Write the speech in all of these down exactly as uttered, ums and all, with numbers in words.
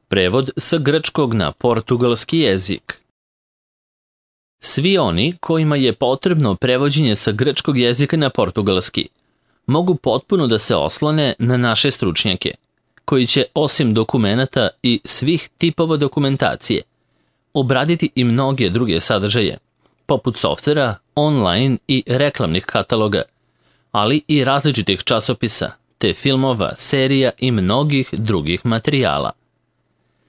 Prevod sa grčkog na portugalski jezik. Svi oni kojima je potrebno prevođenje sa grčkog jezika na portugalski mogu potpuno da se oslone na naše stručnjake, koji će osim dokumenata i svih tipova dokumentacije obraditi i mnoge druge sadržaje, poput softvera, online i reklamnih kataloga, ali i različitih časopisa, te filmova, serija i mnogih drugih materijala.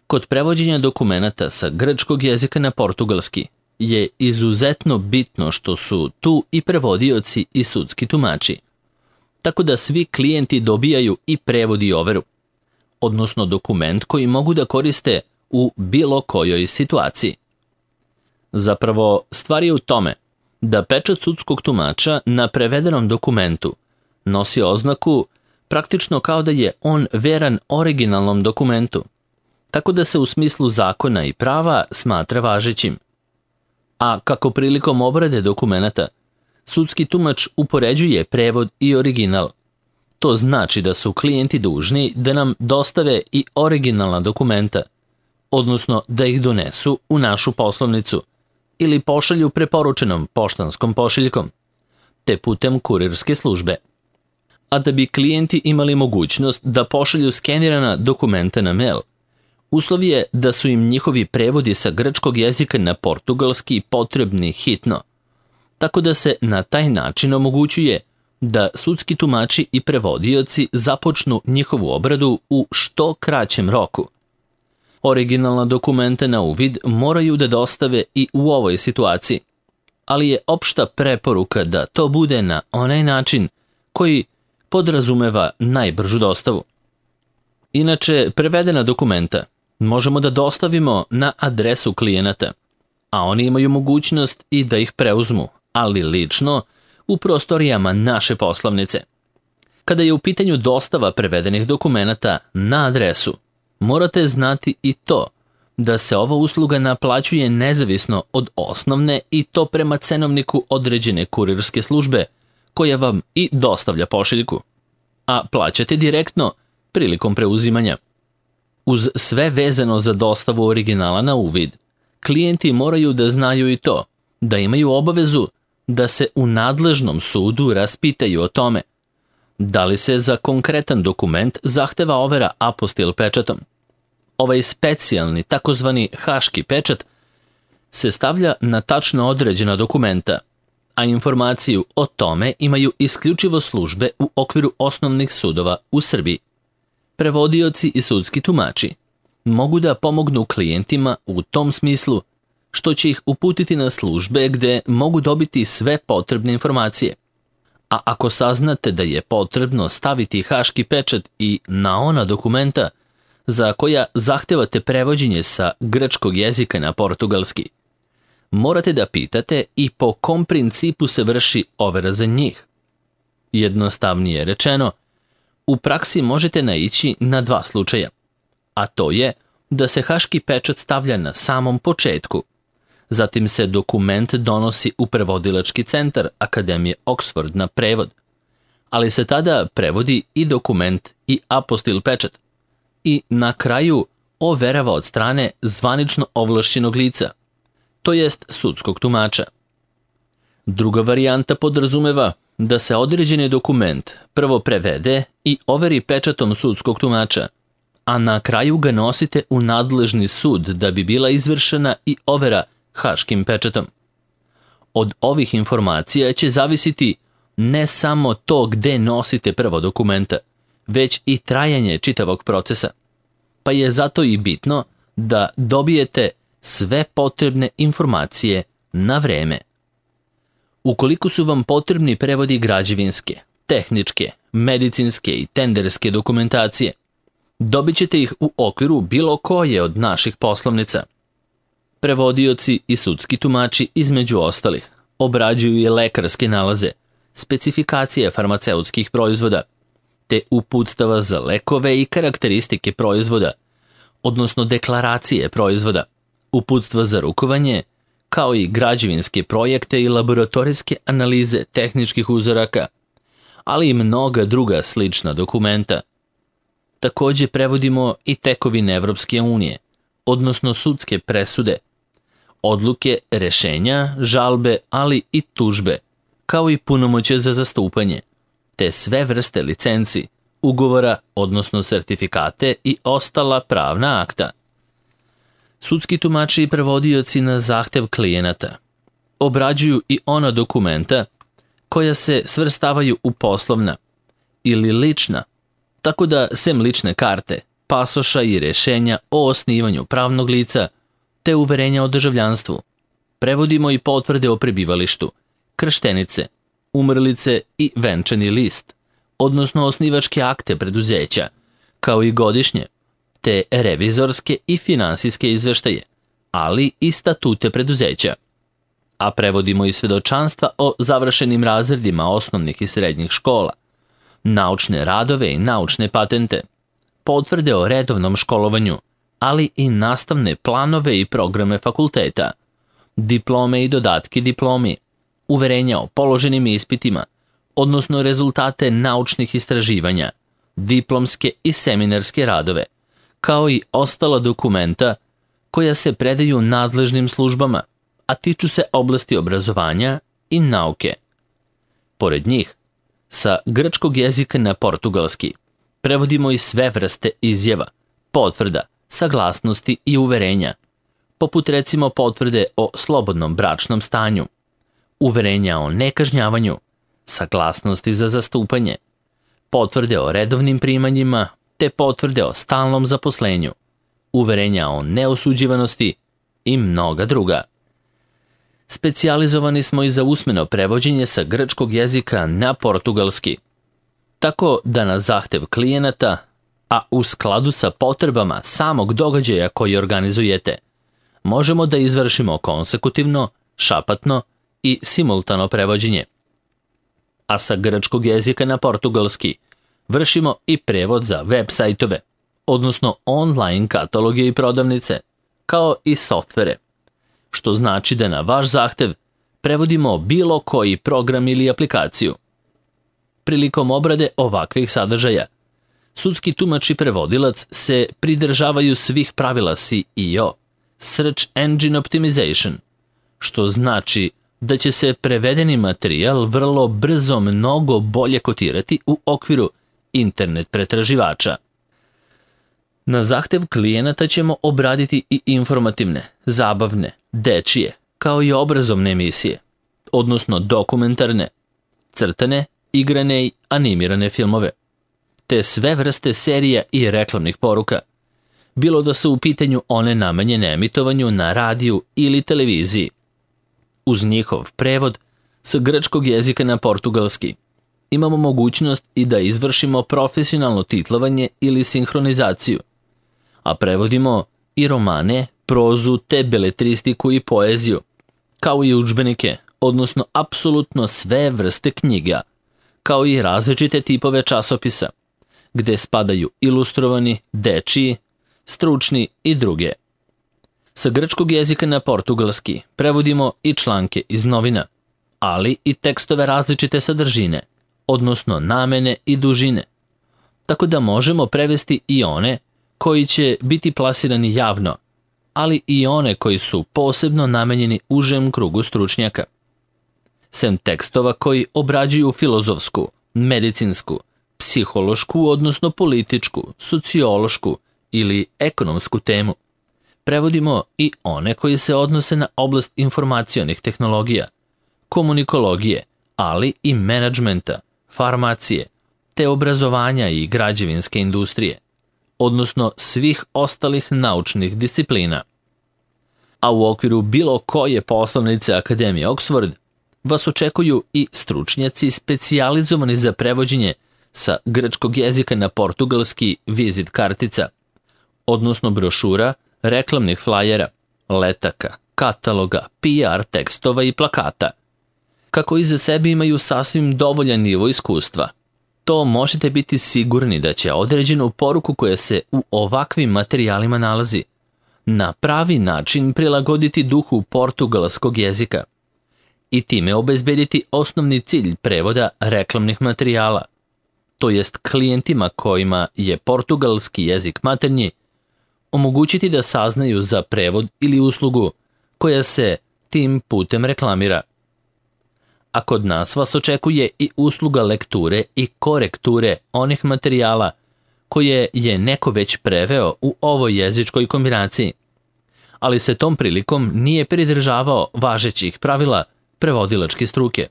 Kod prevođenja dokumenata sa grčkog jezika na portugalski je izuzetno bitno što su tu i prevodioci i sudski tumači, tako da svi klijenti dobijaju i prevod i overu, odnosno dokument koji mogu da koriste u bilo kojoj situaciji. Zapravo, stvar je u tome da pečat sudskog tumača na prevedenom dokumentu nosi oznaku praktično kao da je on veran originalnom dokumentu, tako da se u smislu zakona i prava smatra važećim. A kako prilikom obrade dokumenata, sudski tumač upoređuje prevod i original. To znači da su klijenti dužni da nam dostave i originalna dokumenta, odnosno da ih donesu u našu poslovnicu ili pošalju preporučenom poštanskom pošiljkom, te putem kurirske službe. A da bi klijenti imali mogućnost da pošalju skenirana dokumenta na mail, uslov je da su im njihovi prevodi sa grčkog jezika na portugalski potrebni hitno, tako da se na taj način omogućuje da sudski tumači i prevodioci započnu njihovu obradu u što kraćem roku. Originalna dokumenta na uvid moraju da dostave i u ovoj situaciji, ali je opšta preporuka da to bude na onaj način koji podrazumeva najbržu dostavu. Inače, prevedena dokumenta možemo da dostavimo na adresu klijenata, a oni imaju mogućnost i da ih preuzmu, ali lično, u prostorijama naše poslovnice. Kada je u pitanju dostava prevedenih dokumenata na adresu, morate znati i to da se ova usluga naplaćuje nezavisno od osnovne i to prema cenovniku određene kurirske službe koja vam i dostavlja pošiljku, a plaćate direktno prilikom preuzimanja. Uz sve vezano za dostavu originala na uvid, klijenti moraju da znaju i to da imaju obavezu da se u nadležnom sudu raspitaju o tome da li se za konkretan dokument zahteva overa apostil pečatom. Ovaj specijalni takozvani haški pečat se stavlja na tačno određena dokumenta, a informaciju o tome imaju isključivo službe u okviru osnovnih sudova u Srbiji. Prevodioci i sudski tumači mogu da pomognu klijentima u tom smislu što će ih uputiti na službe gde mogu dobiti sve potrebne informacije. A ako saznate da je potrebno staviti haški pečat i na ona dokumenta za koja zahtevate prevođenje sa grčkog jezika na portugalski, morate da pitate i po kom principu se vrši overa za njih. Jednostavnije rečeno, u praksi možete naići na dva slučaja, a to je da se haški pečat stavlja na samom početku, zatim se dokument donosi u prevodilački centar Akademije Oxford na prevod, ali se tada prevodi i dokument i apostil pečat i na kraju overava od strane zvanično ovlašćenog lica, to jest sudskog tumača. Druga varijanta podrazumeva da se određeni dokument prvo prevede i overi pečatom sudskog tumača, a na kraju ga nosite u nadležni sud da bi bila izvršena i overa haškim pečatom. Od ovih informacija će zavisiti ne samo to gde nosite prvo dokumenta, već i trajanje čitavog procesa, pa je zato i bitno da dobijete sve potrebne informacije na vreme. Ukoliko su vam potrebni prevodi građevinske, tehničke, medicinske i tenderske dokumentacije, dobit ćete ih u okviru bilo koje od naših poslovnica. Prevodioci i sudski tumači, između ostalih, obrađuju i lekarske nalaze, specifikacije farmaceutskih proizvoda, te uputstava za lekove i karakteristike proizvoda, odnosno deklaracije proizvoda, uputstva za rukovanje, kao i građevinske projekte i laboratorijske analize tehničkih uzoraka, ali i mnoga druga slična dokumenta. Takođe prevodimo i tekovine Evropske unije, odnosno sudske presude, odluke, rešenja, žalbe, ali i tužbe, kao i punomoćje za zastupanje, te sve vrste licenci, ugovora, odnosno sertifikate i ostala pravna akta. Sudski tumači i prevodioci na zahtev klijenata obrađuju i ona dokumenta koja se svrstavaju u poslovna ili lična, tako da sem lične karte, pasoša i rešenja o osnivanju pravnog lica te uverenja o državljanstvu, prevodimo i potvrde o prebivalištu, krštenice, umrlice i venčani list, odnosno osnivačke akte preduzeća, kao i godišnje, te revizorske i finansijske izveštaje, ali i statute preduzeća. A prevodimo i svedočanstva o završenim razredima osnovnih i srednjih škola, naučne radove i naučne patente, potvrde o redovnom školovanju, ali i nastavne planove i programe fakulteta, diplome i dodatke diplomi, uverenja o položenim ispitima, odnosno rezultate naučnih istraživanja, diplomske i seminarske radove, kao i ostala dokumenta koja se predaju nadležnim službama, a tiču se oblasti obrazovanja i nauke. Pored njih, sa grčkog jezika na portugalski prevodimo i sve vrste izjava, potvrda, saglasnosti i uverenja, poput recimo potvrde o slobodnom bračnom stanju, uverenja o nekažnjavanju, saglasnosti za zastupanje, potvrde o redovnim primanjima te potvrde o stalnom zaposlenju, uverenja o neosuđivanosti i mnoga druga. Specijalizovani smo i za usmeno prevođenje sa grčkog jezika na portugalski, tako da na zahtev klijenata, a u skladu sa potrebama samog događaja koji organizujete, možemo da izvršimo konsekutivno, šapatno i simultano prevođenje. A sa grčkog jezika na portugalski vršimo i prevod za web sajtove, odnosno online kataloge i prodavnice, kao i softvere, što znači da na vaš zahtev prevodimo bilo koji program ili aplikaciju. Prilikom obrade ovakvih sadržaja, sudski tumač i prevodilac se pridržavaju svih pravila S E O, Search Engine Optimization, što znači da će se prevedeni materijal vrlo brzo mnogo bolje kotirati u okviru internet pretraživača. Na zahtev klijenata ćemo obraditi i informativne, zabavne, dečije, kao i obrazovne emisije, odnosno dokumentarne, crtane, igrane i animirane filmove, te sve vrste serija i reklamnih poruka, bilo da su u pitanju one namenjene emitovanju na radiju ili televiziji. Uz njihov prevod sa grčkog jezika na portugalski imamo mogućnost i da izvršimo profesionalno titlovanje ili sinhronizaciju, a prevodimo i romane, prozu te beletristiku i poeziju, kao i udžbenike, odnosno apsolutno sve vrste knjiga, kao i različite tipove časopisa, gde spadaju ilustrovani, dečiji, stručni i druge. Sa grčkog jezika na portugalski prevodimo i članke iz novina, ali i tekstove različite sadržine, odnosno namene i dužine, tako da možemo prevesti i one koji će biti plasirani javno, ali i one koji su posebno namenjeni užem krugu stručnjaka. Sem tekstova koji obrađuju filozofsku, medicinsku, psihološku, odnosno političku, sociološku ili ekonomsku temu, prevodimo i one koji se odnose na oblast informacionih tehnologija, komunikologije, ali i menadžmenta, farmacije, te obrazovanja i građevinske industrije, odnosno svih ostalih naučnih disciplina. A u okviru bilo koje poslovnice Akademije Oxford vas očekuju i stručnjaci specijalizovani za prevođenje sa grčkog jezika na portugalski vizit kartica, odnosno brošura, reklamnih flajera, letaka, kataloga, P R tekstova i plakata. Kako iza sebe imaju sasvim dovoljan nivo iskustva, to možete biti sigurni da će određenu poruku koja se u ovakvim materijalima nalazi na pravi način prilagoditi duhu portugalskog jezika i time obezbediti osnovni cilj prevoda reklamnih materijala, to jest klijentima kojima je portugalski jezik maternji, omogućiti da saznaju za prevod ili uslugu koja se tim putem reklamira. A kod nas vas očekuje i usluga lekture i korekture onih materijala koje je neko već preveo u ovoj jezičkoj kombinaciji, ali se tom prilikom nije pridržavao važećih pravila prevodilačke struke,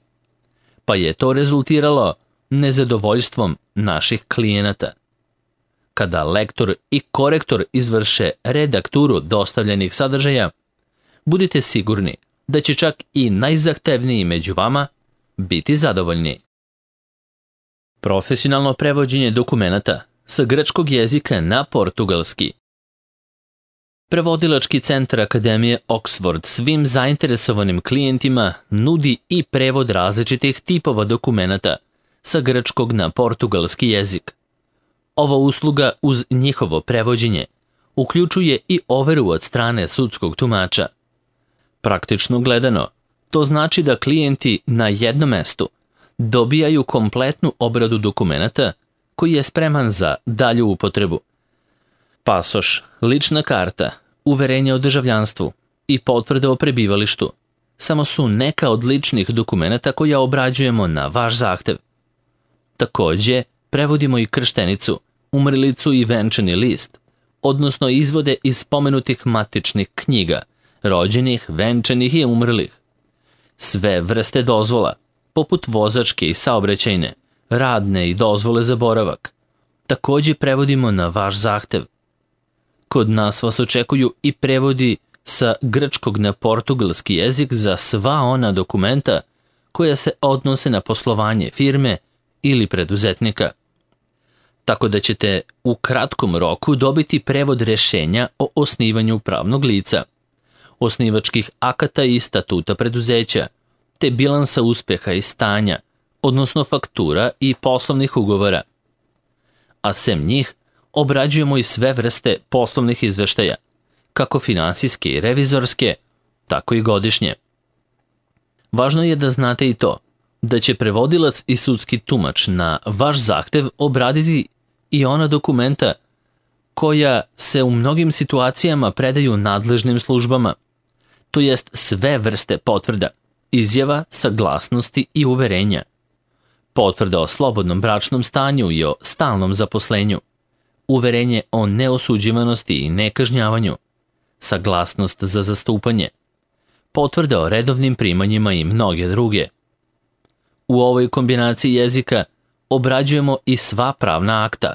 pa je to rezultiralo nezadovoljstvom naših klijenata. Kada lektor i korektor izvrše redakturu dostavljenih sadržaja, budite sigurni da će čak i najzahtevniji među vama biti zadovoljni. Profesionalno prevođenje dokumenata sa grčkog jezika na portugalski. Prevodilački centar Akademije Oxford svim zainteresovanim klijentima nudi i prevod različitih tipova dokumenata sa grčkog na portugalski jezik. Ova usluga uz njihovo prevođenje uključuje i overu od strane sudskog tumača. Praktično gledano, to znači da klijenti na jednom mestu dobijaju kompletnu obradu dokumenata koji je spreman za dalju upotrebu. Pasoš, lična karta, uverenje o državljanstvu i potvrde o prebivalištu samo su neka od ličnih dokumenata koja obrađujemo na vaš zahtev. Takođe, prevodimo i krštenicu, umrlicu i venčani list, odnosno izvode iz spomenutih matičnih knjiga, rođenih, venčanih i umrlih. Sve vrste dozvola, poput vozačke i saobraćajne, radne i dozvole za boravak, takođe prevodimo na vaš zahtev. Kod nas vas očekuju i prevodi sa grčkog na portugalski jezik za sva ona dokumenta koja se odnose na poslovanje firme ili preduzetnika. Tako da ćete u kratkom roku dobiti prevod rešenja o osnivanju pravnog lica, osnivačkih akata i statuta preduzeća, te bilansa uspeha i stanja, odnosno faktura i poslovnih ugovora. A sem njih, obrađujemo i sve vrste poslovnih izveštaja, kako finansijske i revizorske, tako i godišnje. Važno je da znate i to, da će prevodilac i sudski tumač na vaš zahtev obraditi i ona dokumenta koja se u mnogim situacijama predaju nadležnim službama, to jest sve vrste potvrda, izjava, saglasnosti i uverenja, potvrda o slobodnom bračnom stanju i o stalnom zaposlenju, uverenje o neosuđivanosti i nekažnjavanju, saglasnost za zastupanje, potvrda o redovnim primanjima i mnoge druge. U ovoj kombinaciji jezika obrađujemo i sva pravna akta,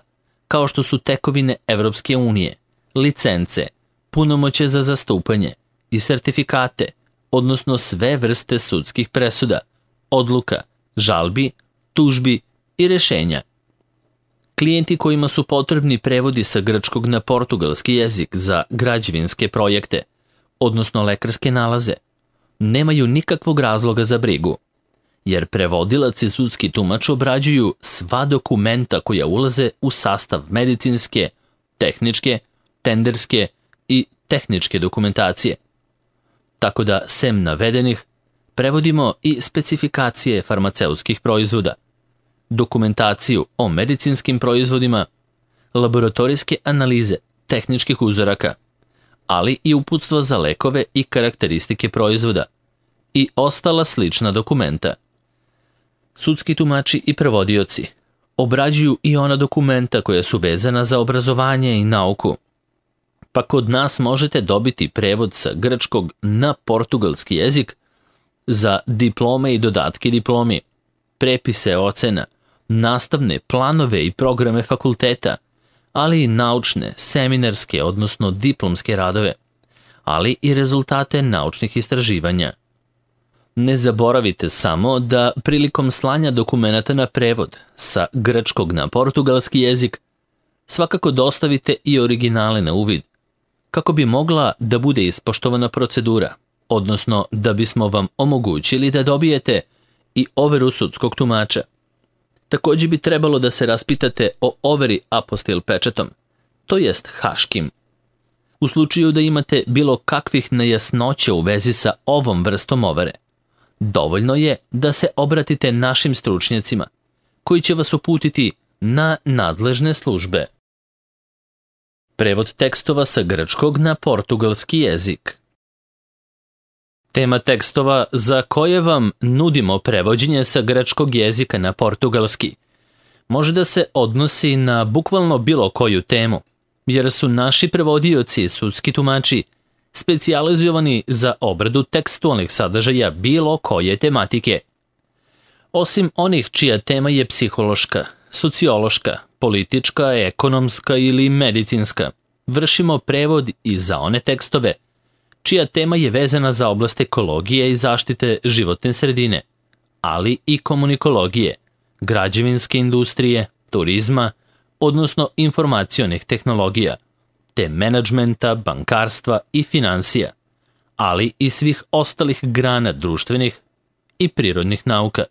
kao što su tekovine Evropske unije, licence, punomoćje za zastupanje i sertifikate, odnosno sve vrste sudskih presuda, odluka, žalbi, tužbi i rešenja. Klijenti kojima su potrebni prevodi sa grčkog na portugalski jezik za građevinske projekte, odnosno lekarske nalaze, nemaju nikakvog razloga za brigu, jer prevodilac i sudski tumač obrađuju sva dokumenta koja ulaze u sastav medicinske, tehničke, tenderske i tehničke dokumentacije. Tako da, sem navedenih, prevodimo i specifikacije farmaceutskih proizvoda, dokumentaciju o medicinskim proizvodima, laboratorijske analize tehničkih uzoraka, ali i uputstva za lekove i karakteristike proizvoda i ostala slična dokumenta. Sudski tumači i prevodioci obrađuju i ona dokumenta koja su vezana za obrazovanje i nauku, pa kod nas možete dobiti prevod sa grčkog na portugalski jezik za diplome i dodatke diplomi, prepise ocena, nastavne planove i programe fakulteta, ali i naučne, seminarske, odnosno diplomske radove, ali i rezultate naučnih istraživanja. Ne zaboravite samo da prilikom slanja dokumenata na prevod sa grčkog na portugalski jezik svakako dostavite i originale na uvid, kako bi mogla da bude ispoštovana procedura, odnosno da bismo vam omogućili da dobijete i overu sudskog tumača. Takođe bi trebalo da se raspitate o overi apostil pečatom, to jest haškim. U slučaju da imate bilo kakvih nejasnoća u vezi sa ovom vrstom overe, dovoljno je da se obratite našim stručnjacima, koji će vas uputiti na nadležne službe. Prevod tekstova sa grčkog na portugalski jezik. Tema tekstova za koje vam nudimo prevođenje sa grčkog jezika na portugalski može da se odnosi na bukvalno bilo koju temu, jer su naši prevodioci i sudski tumači specijalizovani za obradu tekstualnih sadržaja bilo koje tematike. Osim onih čija tema je psihološka, sociološka, politička, ekonomska ili medicinska, vršimo prevod i za one tekstove čija tema je vezana za oblast ekologije i zaštite životne sredine, ali i komunikologije, građevinske industrije, turizma, odnosno informacionih tehnologija, te menadžmenta, bankarstva i finansija, ali i svih ostalih grana društvenih i prirodnih nauka.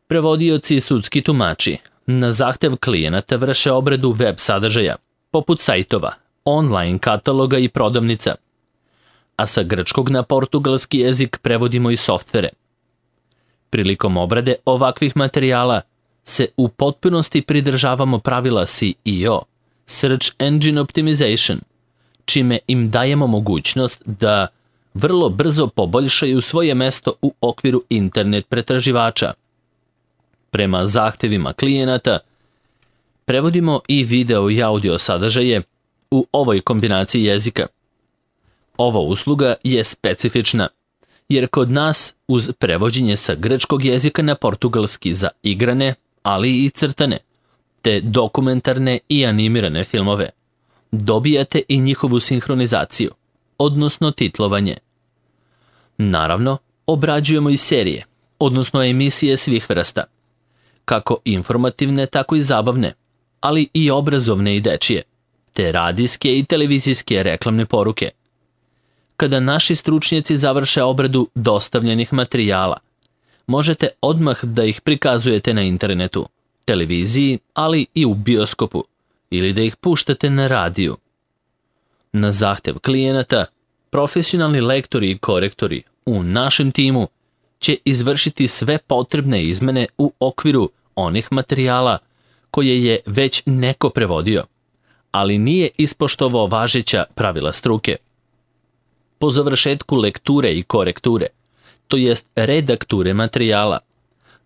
Prevodioci i sudski tumači na zahtev klijenata vrše obradu web sadržaja, poput sajtova, online kataloga i prodavnica, a sa grčkog na portugalski jezik prevodimo i softvere. Prilikom obrade ovakvih materijala se u potpunosti pridržavamo pravila S E O, Search Engine Optimization, čime im dajemo mogućnost da vrlo brzo poboljšaju svoje mesto u okviru internet pretraživača. Prema zahtevima klijenata, prevodimo i video i audio sadržaje u ovoj kombinaciji jezika. Ova usluga je specifična, jer kod nas uz prevođenje sa grčkog jezika na portugalski za igrane, ali i crtane, te dokumentarne i animirane filmove, dobijate i njihovu sinhronizaciju, odnosno titlovanje. Naravno, obrađujemo i serije, odnosno emisije svih vrsta, kako informativne, tako i zabavne, ali i obrazovne i dečije, te radijske i televizijske reklamne poruke. Kada naši stručnjaci završe obradu dostavljenih materijala, možete odmah da ih prikazujete na internetu, televiziji, ali i u bioskopu, ili da ih puštate na radiju. Na zahtev klijenata, profesionalni lektori i korektori u našem timu će izvršiti sve potrebne izmene u okviru onih materijala koje je već neko prevodio, ali nije ispoštovao važeća pravila struke. Po završetku lekture i korekture, to jest redakture materijala,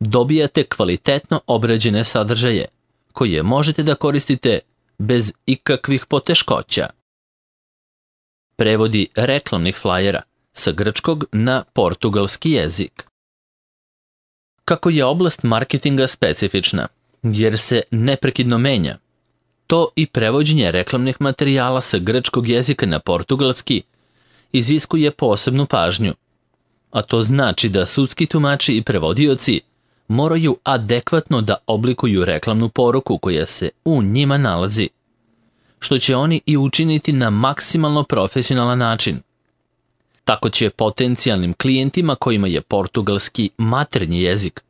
dobijate kvalitetno obrađene sadržaje koje možete da koristite bez ikakvih poteškoća. Prevodi reklamnih flajera sa grčkog na portugalski jezik. Kako je oblast marketinga specifična, jer se neprekidno menja, to i prevođenje reklamnih materijala sa grčkog jezika na portugalski iziskuje posebnu pažnju, a to znači da sudski tumači i prevodioci moraju adekvatno da oblikuju reklamnu poruku koja se u njima nalazi, što će oni i učiniti na maksimalno profesionalan način. Tako će potencijalnim klijentima kojima je portugalski maternji jezik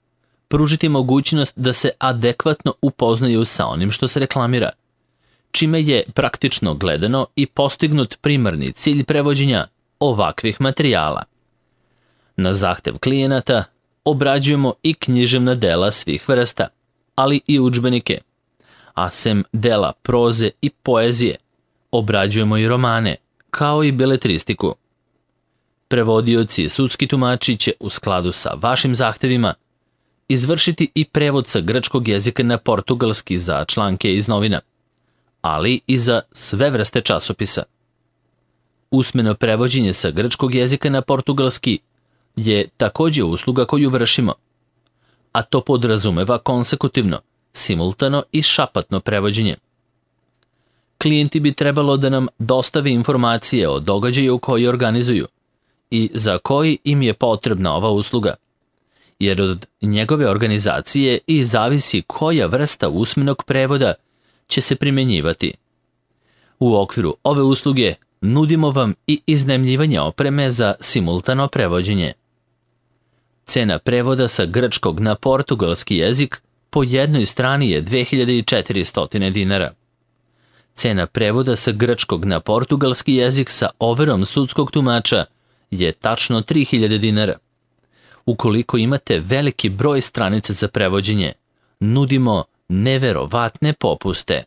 pružiti mogućnost da se adekvatno upoznaju sa onim što se reklamira, čime je praktično gledano i postignut primarni cilj prevođenja ovakvih materijala. Na zahtev klijenata obrađujemo i književna dela svih vrsta, ali i udžbenike, a sem dela proze i poezije obrađujemo i romane, kao i beletristiku. Prevodioci i sudski tumači će u skladu sa vašim zahtevima izvršiti i prevod sa grčkog jezika na portugalski za članke iz novina, ali i za sve vrste časopisa. Usmeno prevođenje sa grčkog jezika na portugalski je također usluga koju vršimo, a to podrazumeva konsekutivno, simultano i šapatno prevođenje. Klijenti bi trebalo da nam dostave informacije o događaju koji organizuju i za koji im je potrebna ova usluga, jer od njegove organizacije i zavisi koja vrsta usmenog prevoda će se primjenjivati. U okviru ove usluge nudimo vam i iznajmljivanje opreme za simultano prevođenje. Cena prevoda sa grčkog na portugalski jezik po jednoj strani je dve hiljade četiristo dinara. Cena prevoda sa grčkog na portugalski jezik sa overom sudskog tumača je tačno tri hiljade dinara. Ukoliko imate veliki broj stranica za prevođenje, nudimo neverovatne popuste.